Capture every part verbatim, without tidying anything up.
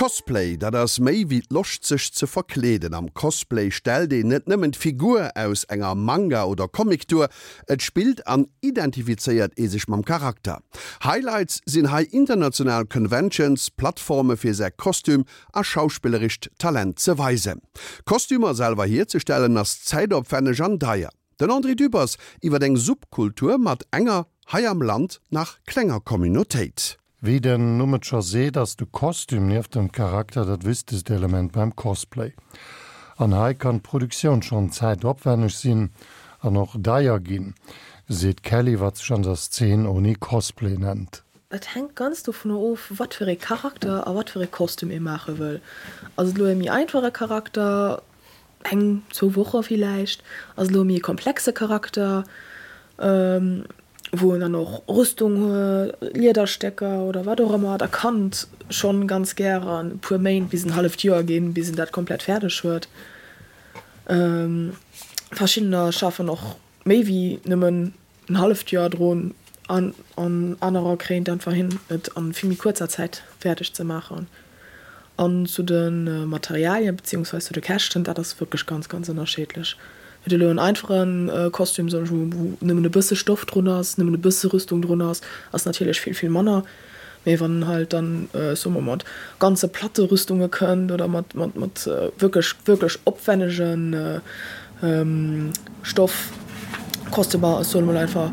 Cosplay, dat ass méi wéi d'Loscht sech ze verkleeden. Am Cosplay stellt een net nëmmen d'Figur aus enger Manga oder Comic duer, et spillt an identifizéiert ee sech mam Charakter. Highlights sinn hei international Conventions, Plattforme fir säi Kostüm a schauspillerescht Talent ze weisen. Kostümer selwer hierzestellen ass zäitopwänneg an deier. Den André Dübbers iwwer eng Subkultur mat enger, hei am Land nach klenger Communautéit. Wéi den Numm et scho seet, ass de Kostüm nieft dem Charakter dat wichtegst Element beim Cosplay. An hei kann d'Produktioun schonn zäitopwänneg sinn an och deier ginn, seet d'Kelly, wat sech an der Szene Oni Cosplay nennt. Et hänkt ganz dovunner of, wat fir ee Charakter a wat fir ee Kostüm ee maache wëll. Ass et elo e méi einfache Charakter, eng, zwou Woche villäicht. Ass et elo e méi komplexe Charakter, wou en dann och Rüstung huet, Liederstécker oder wat och ëmmer, da kann et schonn ganz gären e puer Méint bis en halleft Joer ginn, bis en dat komplett fäerdeg huet. Verschiddener schaffen och méi wéi nëmmen en halleft Joer drun an anerer kréien et einfach hin, et a vill méi kuerzer Zäit fäerdeg ze maachen. An zu de Materialien beziehungsweise zu de Käschten, dat ass wierklech ganz, ganz ënnerscheedlech. Huet elo en einfache Kostüm, soen ech mol, wou nëmmen e bësse Stoff drun ass, nëmmen e bësse Rüstung drun ass, ass natierlech vill, vill manner. Mee wann en halt dann, soe mer, mat ganze Platte Rüstunge kënnt oder mat, mat, mat wierklech, wierklech opwännege Stoff Kostümer, ech soe mol einfach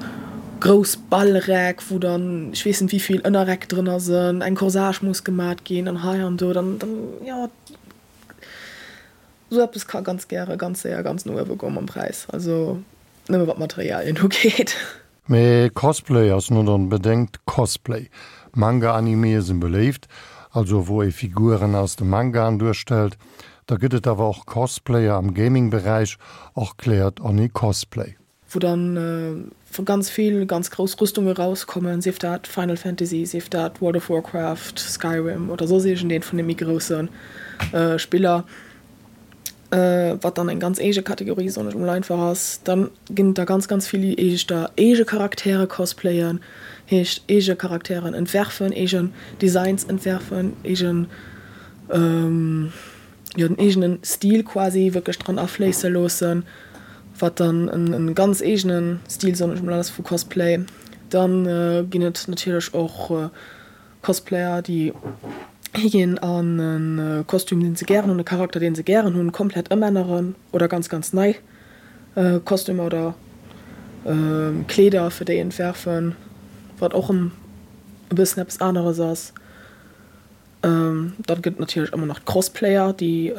grouss Ballräck, wou dann ech weess net wéivill Ënnerräck drënner sënn, eng Corsage muss gemat ginn an hei an do, dann, dann, jo, esou eppes ka ganz gäre ganz séier ganz no uewe goe mam Präis, also nëmme wat d'Materialien ugeet. Mee Cosplay ass net onbedéngt Cosplay. Manga-Animeë sinn beléift, also wou ee Figuren aus de Mangaen duerstellt. Da gëtt et awer och Cosplayer am Gaming-Beräich, erkläert Oni Cosplay. Wou dann ganz vill ganz grouss Rüstunge rauskommen, sief dat Final Fantasy, sief dat World of Warcraft, Skyrim oder soss iergendeen vun de méi grousse Spiller, wat dann eng ganz eege Kategorie, soen ech mol einfach, ass. Dann ginn et der ganz, ganz vill, déi éischter eege Charaktere cosplayen, heescht eege Charakteren entwerfen, eegen Designs entwerfen, eegen. jo den eegenen Stil quasi wierklech dran afléisse loossen, wat dann en ganz eegenen Stil, soen ech mol, ass vu Cosplay. Dann ginn et natierlech och Cosplayer, déi higinn an e Kostüm, deen se gären hunn, e Charakter, deen se gären hunn, komplett ëmänneren oder ganz, ganz nei Kostümer oder Kleeder fir déi entwerfen, wat och e bëssen eppes aneres ass. Dann gëtt et natierlech ëmmer nach d'Crossplayer, déi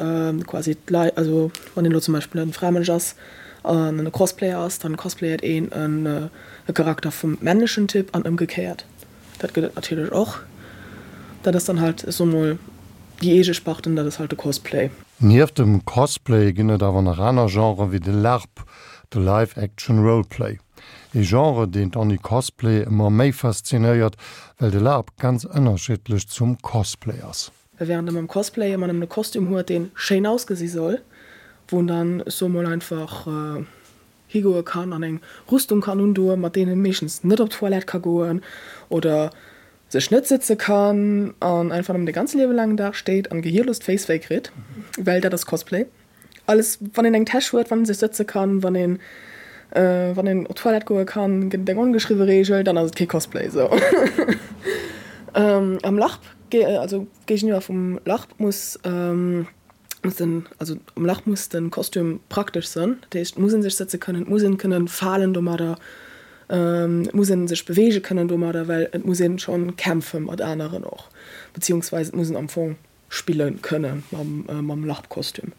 quasi d'Leit, also wann een elo zum Beispill e Framënsch ass an e Crossplayer ass, dann cosplayert een e Charakter vum männlechen Typ an ëmgekéiert. Dat gëtt et natierlech och. Dat ass dann halt, ech soe mol, déi eege Sparte, dat ass halt de Cosplay. Nieft dem Cosplay ginn et awer nach aner Genren, wéi de LARP, de Live Action Role Play. Ee Genre, deen d'Annie Cosplay ëmmer méi faszinéiert, well de LARP ganz ënnerschiddlech zum Cosplay ass. Wärend e mam Cosplay ëmmer nëmmen e Kostüm huet, dee schéin ausgesi soll, wou en dann, ech soe mol einfach, higoe kann an eng Rüstung kann undoen, mat deenen en meeschtens net op d'Toilette ka goen oder sech net sëtze kann an einfach nëmmen de ganze liewe laangen Dag steet an gehierlos d'Féiss wéi kritt, well dat ass Cosplay. Alles, wann een eng Täsch huet, wann ee sech sëtze kann, wann een wann een op d'Toilette goe kann, gëtt et eng ongeschriwwe Reegel, dann ass et kee Cosplay. Sou am LARP, also géigeniwwer vum LARP muss muss den, also am LARP muss de Kostüm praktesch sënn, dat heescht et muss ee sech sëtze kënnen, et muss een kënnen falen domadder, et muss ee sech beweege kënnen domadder, well et muss ee schonn kämpfe mat aneren och, beziehungsweise et muss een am Fong spille kënne mam LARP-Kostüm.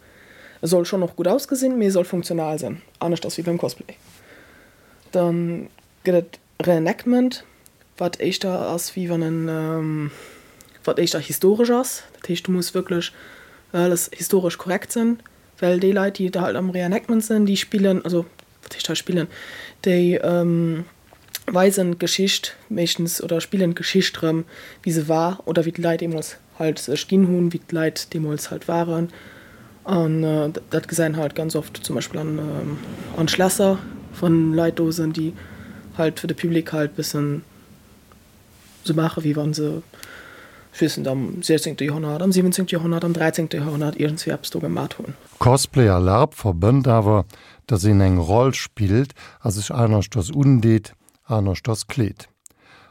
E soll schonn och gutt ausgesinn, mee e soll funktional sinn, aneschters wéi beim Cosplay. Da gëtt et Reenactment, wat éischter ass wéi wann en, wat éischter historesch ass. Dat heescht, do muss wierklech alles historesch korrekt sinn, well déi Leit, déi halt am Reenactment sinn, déi spillen, also wat heescht hei spillen, déi weisen d'Geschicht meeschtens oder spillen d'Geschicht rëm, wéi se war oder wéi d'Leit deemools halt sech ginn hunn, wéi d'Leit deemools halt waren. An dat gesäit een halt ganz oft zum Beispill an an Schlässer, wann Leit do sinn, déi halt fir de Public halt bëssen sou maache wéi wann se ech weess net, am siechzéngte Joerhonnert, am siwwenzéngte Joerhonnert, am dräizéngte Joerhonnert iergendswéi eppes do gemat hunn. Cosplay a LARP verbënnt awer, dass een eng Roll spillt a sech aneschters undeet, aneschters kleet.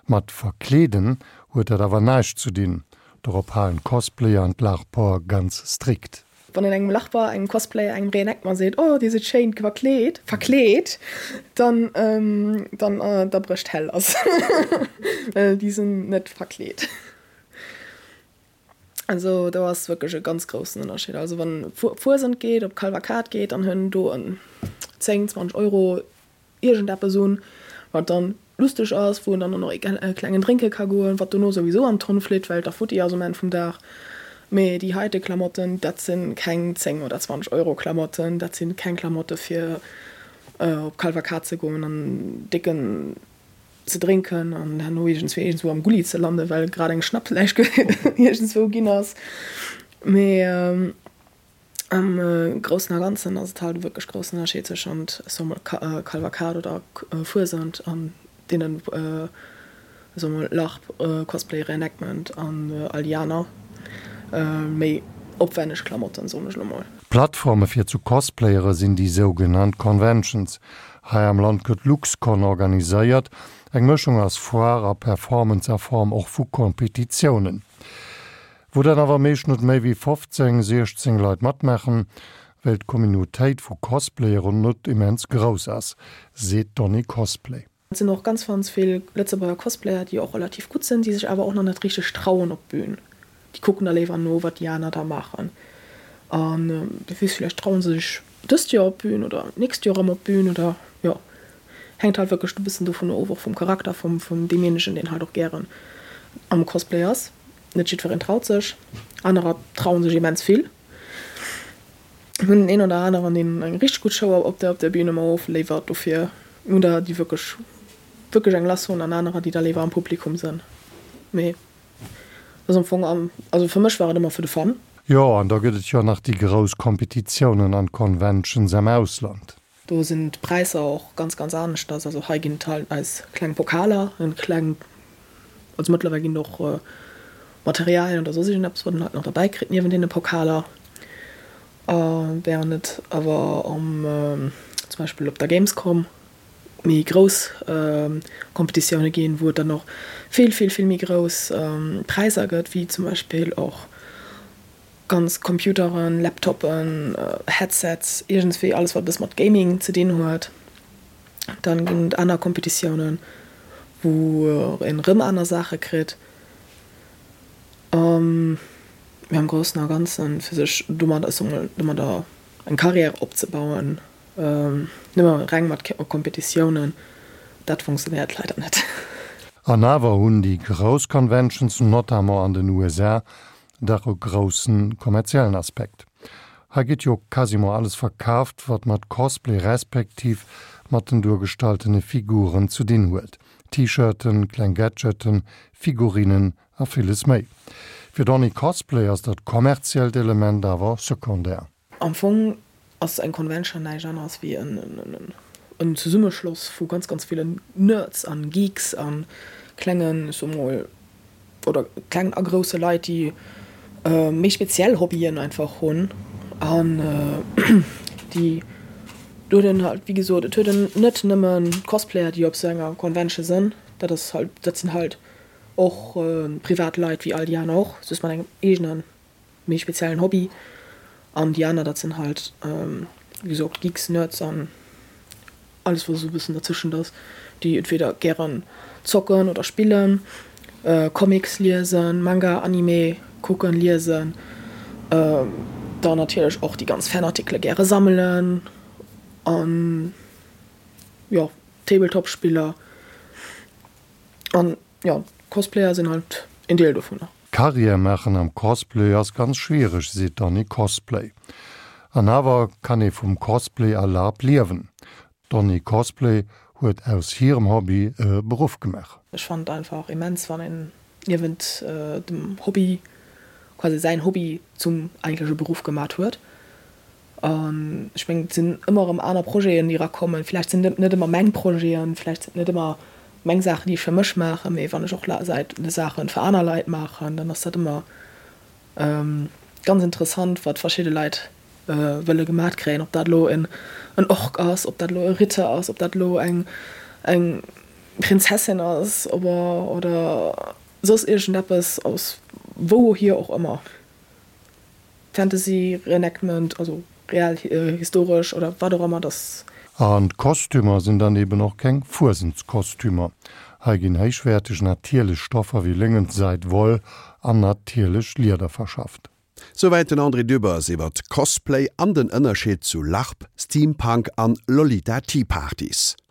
Mat verkleeden huet dat awer näischt ze dinn, dorop halen d'Cosplayer an d'LARPer ganz strikt. Wann een engem LARPer, engem Cosplayer, engem Reenactment seet, Oh, dir sidd schéin verkleet, verkleet, dann, dann, da brécht d'Hell lass. Well déi sinn net verkleet. Also do ass wierklech e ganz groussen Ënnerscheed. Also wann op Fuesent geet, op Kalvakad geet, dann hunn do en zéng, zwanzeg Euro iergendeppes un, wat dann lusteg ass, wou en dann och nach e klengen drénke ka goen, wat dono souwisou an d'Tonn flitt, well et da futti ass um Enn vum Dag. Mee déi heite Klamotten, dat si keng zéng oder zwanzeg Euro Klamotten, dat si keng Klamotte fir op Kalvakad ze goen an décken ze drénken an herno iergendswéi iergendswou am Gulli ze landen, well grad eng Schnappläich iergendswou ginn ass. Mee am Groussen a Ganzen ass et halt e wierklech groussen Ënnerscheed tëschent, ech soe mol, Kalvakad oder Fuesent an deenen, ech soe mol, Larp, Cosplay, Reenactment an all déi aner méi opwänneg Klamotten, soen ech elo mol. Plattforme fir zu cosplayere sinn déi sougenannt Conventions. Hei am Land gëtt LuxCon organiséiert, eng Mëschung aus Foire a Performance a Form och vu Kompetitiounen, wou dann awer meescht net méi wéi fofzéng, siechzéng Leit matmaachen, well d'Communautéit vu Cosplayeren net immens grouss ass, seet d'Donny Cosplay. Et sinn och ganz ganz vill Lëtzebuerger Cosplayer, déi och relativ gutt sinn, déi sech awer och nach net richteg trauen op d'Bün. Déi kucken da léiwer no, wat déi aner da maachen. An wie weess, villäicht traue se sech dëst Joer op d'Bün oder d'nächst Joer erëm op d'Bün oder jo. Hänkt halt wierklech e bëssen dovun of, och vum Charakter vum vun deemjéinegen, deen halt och gären am Cosplay ass. Net jiddwereen traut sech, anerer traue sech immens vill. Mir hunn den een oder aneren, deen eng richteg gutt Show op der op der Bün ëmmer ofléiwert. Dofir hunn der, déi wierklech wierklech eng lass hunn an anerer, déi da léiwer am Publikum sënn. Mee dat ass am Fong am, also fir mech war et ëmmer fir de Fun. Jo, an da gëtt et jo nach déi grouss Kompetitiounen an Conventions am Ausland. Do sinn d'Präisser och ganz, ganz aneschters. Also hei ginn et halt eis kleng Pokaler, en kleng, also mëttlerweil ginn et och Materialien oder soss iergendeppes, wat een halt nach derbäi kritt niewent deene Pokaler. Während et awer am, zum Beispill op der Gamescom méi grouss Kompetitioune ginn, wou et dann och vill, vill, vill méi grouss Präisser gëtt, wéi zum Beispill och ganz Computeren, Laptoppen, Headsets, iergendswéi alles wat e bësse mat Gaming ze dinn huet. Dann ginn et aner Kompetitiounen, wou een erëm aner Saache kritt. Mee am Groussen a Ganzen, fir sech domadder, ech soe mol, domadder eng Carrière opzebauen, nëmme reng mat Kompetitiounen, dat funktionéiert leider net. An awer hunn déi grouss Conventions, notamment an den U S A, dach e grousse kommerziellen Aspekt. Hei gëtt jo quasiment alles verkaaft, wat mat Cosplay respektiv mat den duergestalltene Figuren ze dinn huet, T-Shirten, kleng Gadgeten, Figurinen a villes méi. Fir Donny Cosplay ass dat kommerziellt Element awer sekundär. Am Fong ass eng Convention näischt aneres wéi en Zesummeschloss vu ganz, ganz villen Nerds an Geeks a klengen, ech soe mol, oder klengen a grousse Leit, déi méi speziell Hobbyen einfach hunn an déi do huet een halt, wéi gesot, et huet een net nëmmen Cosplayer, déi op esou enger Convention sinn, dat ass halt, dat sinn halt och privat Leit wéi all déi aner och, just mat engem eegene méi speziellen Hobby. An déi aner, dat sinn halt, wéi gesot, Geeks, Nerds an alles, wat esou e bëssen dertëschent ass, déi entweder gären zocken oder spillen, Comics liesen, Manga, Anime kucken, liesen, dann natierlech och déi ganz Fanartikele gäre sammelen an, jo, Tabletop-Spiller an, jo, Cosplayer sinn halt een Deel dovunner. Karriär maachen am Cosplay ass ganz schwiereg, seet d'Donny Cosplay. An awer kann ee vum Cosplay a LARP liewen. D'Donny Cosplay huet aus hirem Hobby e Beruff gemaach. Ech fannen et einfach immens, wann een niewent dem Hobby quasi säin Hobby zum eigentleche Beruff gemat huet. An ech mengen, et sinn ëmmer erëm aner Projeten, déi erakommen. Vläicht sinn et net ëmmer meng Projeten, vläicht sinn et net ëmmer meng Saachen, déi ech fir mech maachen, mee wann ech och Saachen fir aner Leit maachen, dann ass dat ëmmer ganz interessant, wat verschidde Leit wëlle gemat kréien, ob dat elo en Ork ass, ob dat elo e Ritter ass, ob dat elo eng eng Prinzessin ass oder soss iergendeppes aus wouhier och ëmmer. Fantasy, Reenactment, also real, historesch oder wat och ëmmer, dass. An d'Kostümer sinn dann eben och keng Fuesentskostümer. Hei ginn héichwäerteg natierlech Stoffer wéi Léngen, Seid, Woll an natierlecht Lieder verschafft. Souwäit den André Dübbers iwwert Cosplay an den Ënnerscheed zu LARP, Steampunk an Lolita Tea Partys.